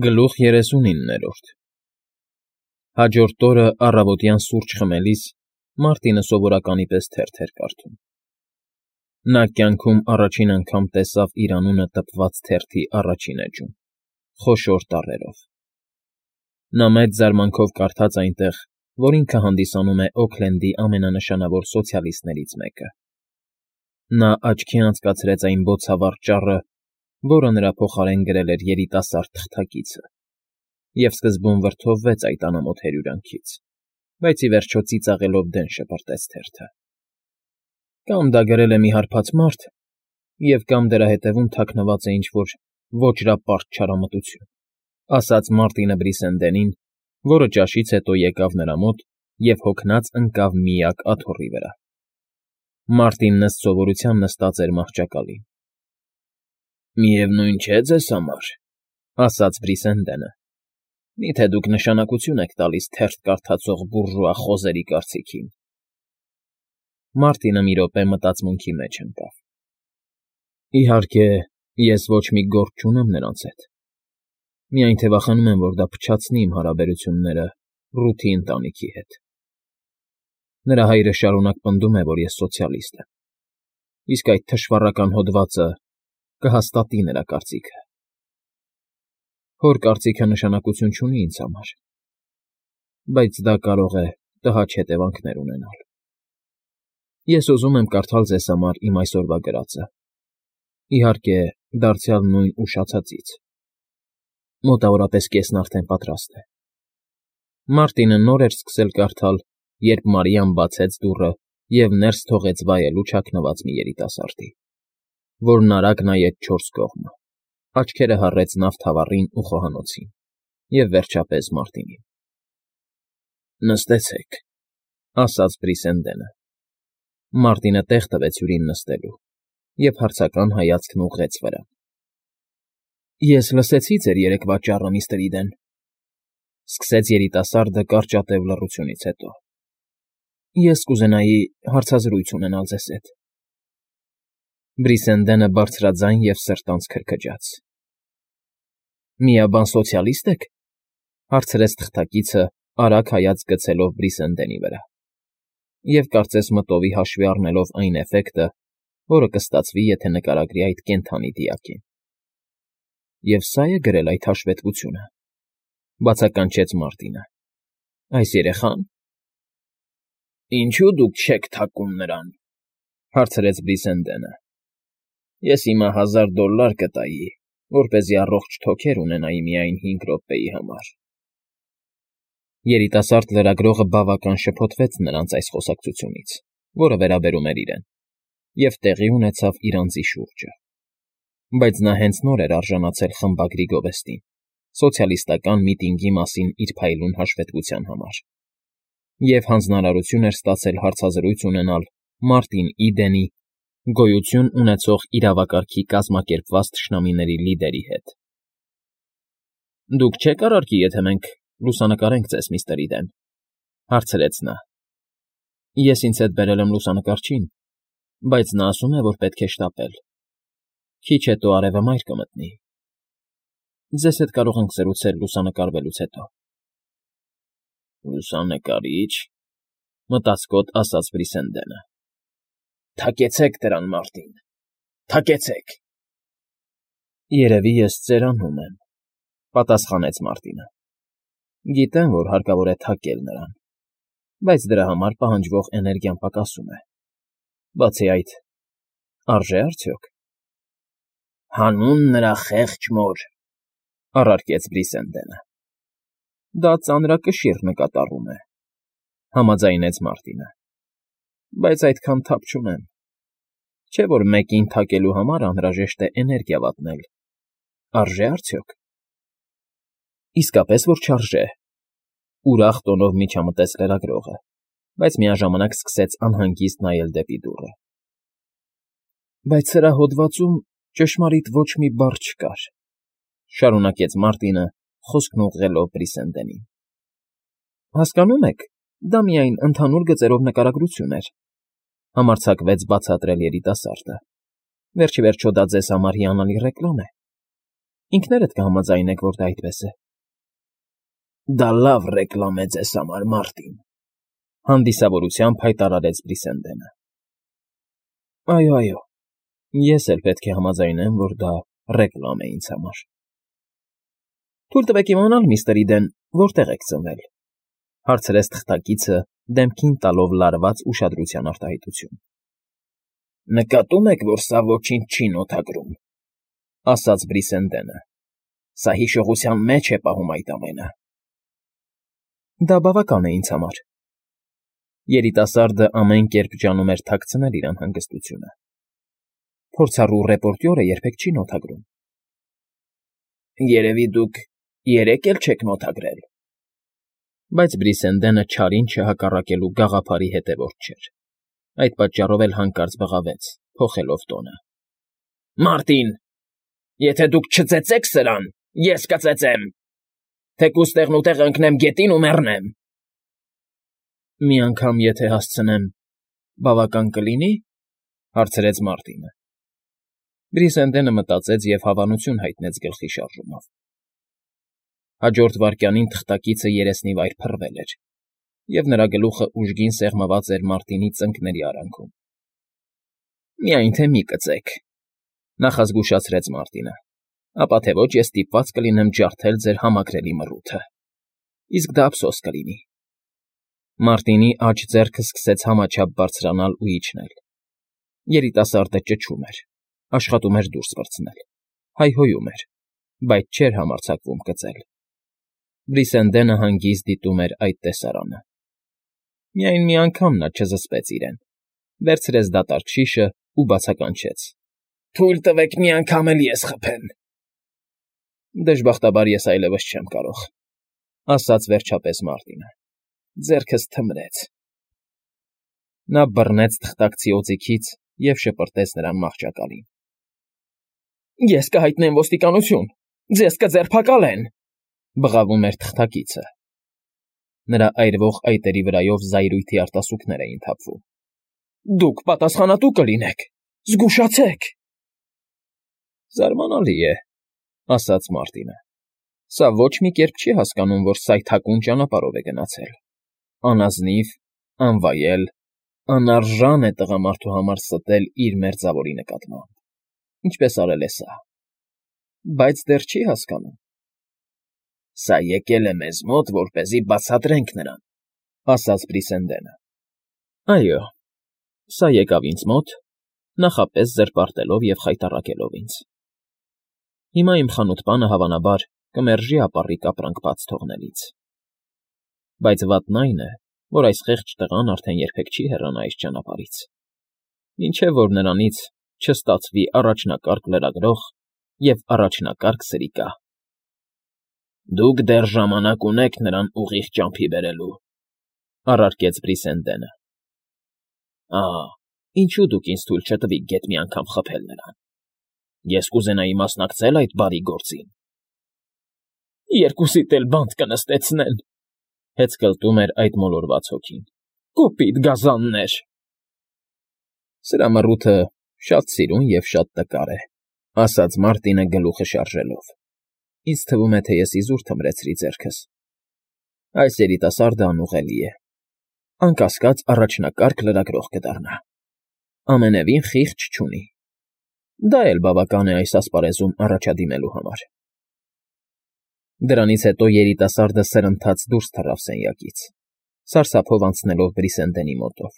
Գլուխ 39 Հաջորդ օրը առավոտյան սուրճ խմելիս Մարտինը սովորականի պես թերթ էր կարդում։ Նա կյանքում առաջին անգամ տեսավ իր անունը տպված թերթի առաջին էջում, խոշոր տառերով։ Նա մեծ զարմանքով կարդաց այնտեղ, որ ինքը հանդիսանում է Օքլենդի ամենանշանավոր սոցիալիստներից մեկը։ Նա աչքի անցկացրեց այն բոցավառ ճառը, որը նրա փոխարեն գրել էր երիտասարդ թղթակիցը, և սկզբում վրդովվեց այդ անամոթ հրյուրանքից, բայց ի վերջո ծիծաղելով դեն շպրտեց թերթը։ Կամ դա գրել է մի հարբած մարդ, և կամ դրա հետևում թաքնված է ինչ-որ ոճրապարտ չարամտություն, ասաց Մարտինը Բրիսենդենին, որը ճաշից հետո եկավ նրա մոտ և հոգնած ընկավ միակ աթոռի վրա։ Մարտինն ըստ սովորության նստած էր մահճակալին։ «Միևնույն չէ ձեզ համար,֊ ասաց Բրիսենդենը,֊ միթե դուք նշանակություն եք տալիս թերթ կարդացող բուրժուա խոզերի կարծիքին»։ Մարտինը մի րոպե մտածմունքի մեջ ընկավ։ «Իհարկե, ես ոչ մի գործ չունեմ նրանց հետ, միայն թե վախենում եմ, որ դա փչացնի իմ հարաբերությունները Ռութի ընտանիքի հետ։ Նրա հայրը շարունակ պնդում է, որ ես սոցիալիստ եմ, իսկ այդ թշվառական հոդվածը կհաստատի նրա կարծիքը։ Հոր կարծիքը նշանակություն չունի ինձ համար, բայց դա կարող է տհաճ հետևանքներ ունենալ։ Ես ուզում եմ կարդալ ձեզ համար իմ այսօրվա գրածը, իհարկե, դարձյալ նույն ուշացածից։ Մոտավորապես կեսն արդեն պատրաստ է»։ Մարտինը նոր էր սկսել կարդալ, երբ Մարիան բացեց դուռը և ներս թողեց վայելու չակնված մի երիտասարդի, որն արագ նայեց չորս կողմը, աչքերը հառեց նավթավառին ու խոհանոցին և, վերջապես, Մարտինին։ «Նստեցեք,֊ ասաց Բրիսենդենը։ Մարտինը տեղ տվեց հյուրին նստելու և հարցական հայացքն ուղղեց վրան։ «Ես լսեցի ձեր երեկվա ճառը, միստր Իդեն,֊ սկսեց երիտասարդը կարճատև լռությունից հետո։ Ես կուզենայի հարցազրույց ունենալ ձեզ հետ»։ Բրիսենդենը բարձրաձայն և սրտանց քրքջաց։ «Միաբան սոցիալիստ եք,֊ հարցրեց թղթակիցը, արագ հայացք գցելով Բրիսենդենի վրա, և կարծես մտովի հաշվի առնելով այն էֆեկտը, որը կստացվի, եթե նկարագրի այդ կենդանի դիակին։ Եվ սա՞ է գրել այդ հաշվետվությունը,֊ բացականչեց Մարտինը,֊ այս երեխա՞ն»։ «Ինչո՞ւ դուք չեք թակում նրան,֊ հարցրեց Բրիսենդենը։ «Ես հիմա $1000 կտայի, որպեսզի առողջ թոքեր ունենայի միայն 5 րոպեի համար»։ Երիտասարդ լրագրողը բավական շփոթվեց նրանց այս խոսակցությունից, որը վերաբերում էր իրեն, և տեղի ունեցավ իր անձի շուրջը։ Բայց նա հենց նոր էր արժանացել խմբագրի գովեստին, սոցիալիստական միտինգի մասին իր փայլուն հաշվետվության համար, և հանձնարարություն էր ստացել հարցազրույց ունենալ Մարտին Իդենի, գոյություն ունեցող իրավակարգի կազմակերպված թշնամիների լիդերի հետ։ «Դուք չեք առարկի, եթե մենք լուսանկարենք ձեզ, միստր Իդեն,֊ հարցրեց նա։ Ես ինձ հետ բերել եմ լուսանկարչին, բայց նա ասում է, որ պետք է շտապել։ Քիչ հետո արևը մայր կմտնի։ Ձեզ հետ կարող ենք զրուցել լուսանկարվելուց հետո»։ «Լուսանկարիչ,֊ մտածկոտ ասաց Բրիսենդենը,֊ թակեցեք դրան, Մարտին, թակեցեք»։ «Երևի ես ծերանում եմ,֊ պատասխանեց Մարտինը։ «Գիտեմ, որ հարկավոր է թակել նրան, բայց դրա համար պահանջվող էներգիան պակասում է։ Բացի այդ, արժե՞ արդյոք»։ «Հանուն նրա խեղճ մոր,֊ առարկեց Բրիսենդենը։ «Դա ծանրակշիռ նկատառում է,֊ համաձայնեց Մարտինը։ Բայց այդքան թափ չունեմ։ Չէ՞ որ մեկին թակելու համար անհրաժեշտ է էներգիա վատնել։ Արժե՞ արդյոք»։ «Իսկապես որ չարժե,֊ ուրախ տոնով միջամտեց լրագրողը, բայց միաժամանակ սկսեց անհանգիստ նայել դեպի դուռը։ «Բայց սրա հոդվածում ճշմարիտ ոչ մի բառ չկար,֊ շարունակեց Մարտինը, խոսքն ուղղելով Բրիսենդենին։ «Հասկանո՞ւմ եք, դա միայն ընդհանուր գծերով նկարագրություն էր,֊ համարձակվեց բացատրել երիտասարդը։ Վերջ ի վերջո դա ձեզ համար հիանալի ռեկլամ է։ Ինքներդ կհամաձայնեք, որ դա այդպես է։ Դա լավ ռեկլամ է ձեզ համար, Մարտին, հանդիսավորությամբ հայտարարեց Բրիսենդենը։ Այո, ես էլ պետք է համաձայնեմ, որ դա ռեկլամ է ինձ համար։ Թույլ տվեք իմանալ, միստր Իդեն, որտեղ եք ծնվել, հարցրեց թղթակիցը, դեմքին տալով լարված ուշադրության արտահայտություն։ Նկատում եք, որ սա ոչինչ չի նոթագրում, ասաց Բրիսենդենը։ Սա հիշողության մեջ է պահում այդ ամենը։ Դա բավական է ինձ համար։ Երիտասարդը ամեն կերպ ջանում էր թաքցնել իր անհանգստությունը։ Փորձառու ռեպորտյորը երբեք չի նոթագրում։ Երևի դուք երեք էլ չեք նոթագրել։ Բայց Բրիսենդենը չարին չհակառակելու գաղափարի հետևորդ չէր։ Այդ պատճառով էլ հանկարծ բղավեց, փոխելով տոնը։ Մարտին, եթե դուք չծեծեք սրան, ես կծեծեմ։ Թեկուզ տեղնուտեղ ընկնեմ գետին ու մեռնեմ։ Մի անգամ եթե հասցնեմ, բավական կլինի, հարցրեց Մարտինը։ Բրիսենդենը մտածեց և հավանություն հայտնեց գլխի շարժումով։ Հաջորդ վայրկյանին թղթակիցը երեսնիվայր փռվել էր, և նրա գլուխը ուժգին սեղմված էր Մարտինի ծնկների արանքում։ Միայն թե մի կծեք, նախազգուշացրեց Մարտինը, ապա թե ոչ ես ստիպված կլինեմ ջարդել ձեր համակրելի մռութը։ Իսկ դա ափսոս կլինի։ Մարտինի աջ ձեռքը սկսեց համաչափ բարձրանալ ու իջնել։ Երիտասարդը ճչում էր, աշխատում էր դուրս պրծնել, հայհոյում էր, բայց չէր համարձակվում կծել։ Բրիսենդենը հանգիստ դիտում էր այդ տեսարանը։ Միայն մի անգամ նա չզսպեց իրեն, վերցրեց դատարկ շիշը ու բացականչեց. Թույլ տվեք մի անգամ էլ ես խփեմ։ Դժբախտաբար ես այլևս չեմ կարող, ասաց վերջապես Մարտինը։ Ձեռքս թմրեց։ Նա բռնեց թղթակցի օձիքից և շպրտեց նրան մահճակալին։ Ես կհայտնեմ ոստիկանություն, ձեզ կձերբակալեն, բղավում էր թղթակիցը։ Նրա այրվող այտերի վրայով զայրույթի արտասուքներ էին թափվում։ Դուք պատասխանատու կլինեք, զգուշացեք։ Զարմանալի է, ասաց Մարտինը։ Սա ոչ մի կերպ չի հասկանում, որ սայթաքուն ճանապարհով է գնացել։ Անազնիվ, անվայել, անարժան է տղամարդու համար ստել իր մերձավորի նկատմամբ։ Ինչպես արել է սա։ Բայց դեռ չի հասկանում։ Սա եկել է մեզ մոտ, որպեսզի բացատրենք նրան, ասաց Բրիսենդենը։ Այո, սա եկավ ինձ մոտ, նախապես զրպարտելով և խայտառակելով ինձ։ Հիմա իմ խանութպանը, հավանաբար, կմերժի ապառիկ ապրանք բաց թողնելից։ Բայց վատն այն է, որ այս խեղճ տղան արդեն երբեք չի հեռանա այս ճանապարհից, մինչև որ նրանից չստացվի առաջնակարգ լրագրող և առաջնակարգ սրիկա։ Դուք դեռ ժամանակ ունեք նրան ուղիղ ճամփի բերելու, առարկեց Բրիսենդենը։ Ինչու դուք ինձ թույլ չտվիք գետ մի անգամ խփել նրան։ Ես կուզենայի մասնակցել այդ բարի գործին։ Երկուսիդ էլ բանտ կնստեցնեն, հեծկլտում էր այդ մոլորված հոգին։ Կոպիտ գազաններ։ Սրա մռութը շատ սիրուն և շատ տկար է, ասաց Մարտինը գլուխը շարժելով։ Ինձ թվում է, թե ես իզուր թմրեցրի ձեռքս։ Այս երիտասարդը անուղելի է։ Անկասկած առաջնակարգ լրագրող կդառնա։ Ամենևին խիղճ չունի։ Դա էլ բավական է այս ասպարեզում առաջադիմելու համար։ Դրանից հետո երիտասարդը սրընթաց դուրս թռավ սենյակից, սարսափով անցնելով Բրիսենդենի մոտով,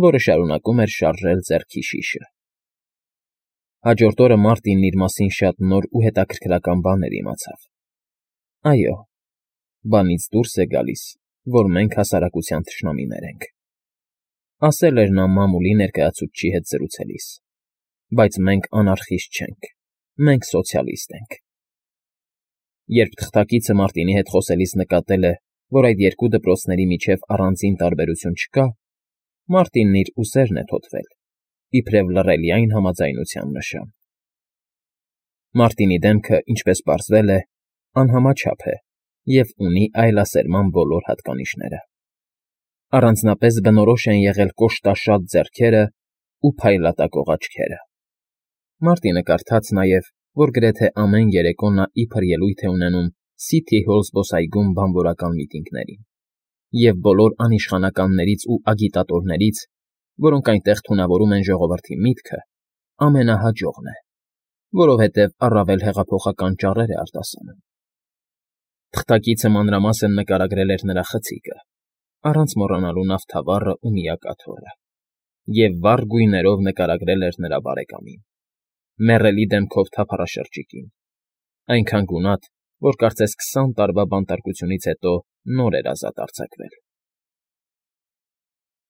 որը շարունակում էր շարժել ձեռքի շիշը։ Հաջորդ օրը Մարտինն իր մասին շատ նոր ու հետաքրքրական բաներ իմացավ։ Այո, բանից դուրս է գալիս, որ մենք հասարակության թշնամիներ ենք։ Ասել էր նա մամուլի ներկայացուցչի հետ զրուցելիս։ Բայց մենք անարխիստ չենք, մենք սոցիալիստ ենք։ Երբ թղթակիցը Մարտինի հետ խոսելիս նկատել է, որ այդ երկու դպրոցների միջև առանձին տարբերություն չկա, Մարտինն իր ուսերն է թոթվել, իբրև լռելիային համաձայնության նշան։ Մարտինի դեմքը, ինչպես պարզվել է, անհամաչափ է և ունի այլասերման բոլոր հատկանիշները։ Առանձնապես բնորոշ են եղել կոշտաշատ ձեռքերը ու փայլատակող աչքերը։ Մարտինը կարդաց նաև, որ գրեթե ամեն երեկո նա իբր ելույթ է ունենում Սիթի Հոլ զբոսայգում բանվորական միտինգներին, և բոլոր անիշխանականներից ու ագիտատորներից, որոնք այնտեղ թունավորում են ժողովրդի միտքը, ամենահաջողն է, որովհետև առավել հեղափոխական ճառեր է արտասանում։ Թղթակիցը մանրամասն նկարագրել էր նրա խցիկը, առանց մոռանալու նավթավառն ու միակաթոռը, և վառ գույներով նկարագրել էր նրա բարեկամին, մեռելի դեմքով թափառաշրջիկին, այնքան գունատ, որ կարծես 20 տարվա բանտարկությունից հետո նոր էր ազատ արձակվել։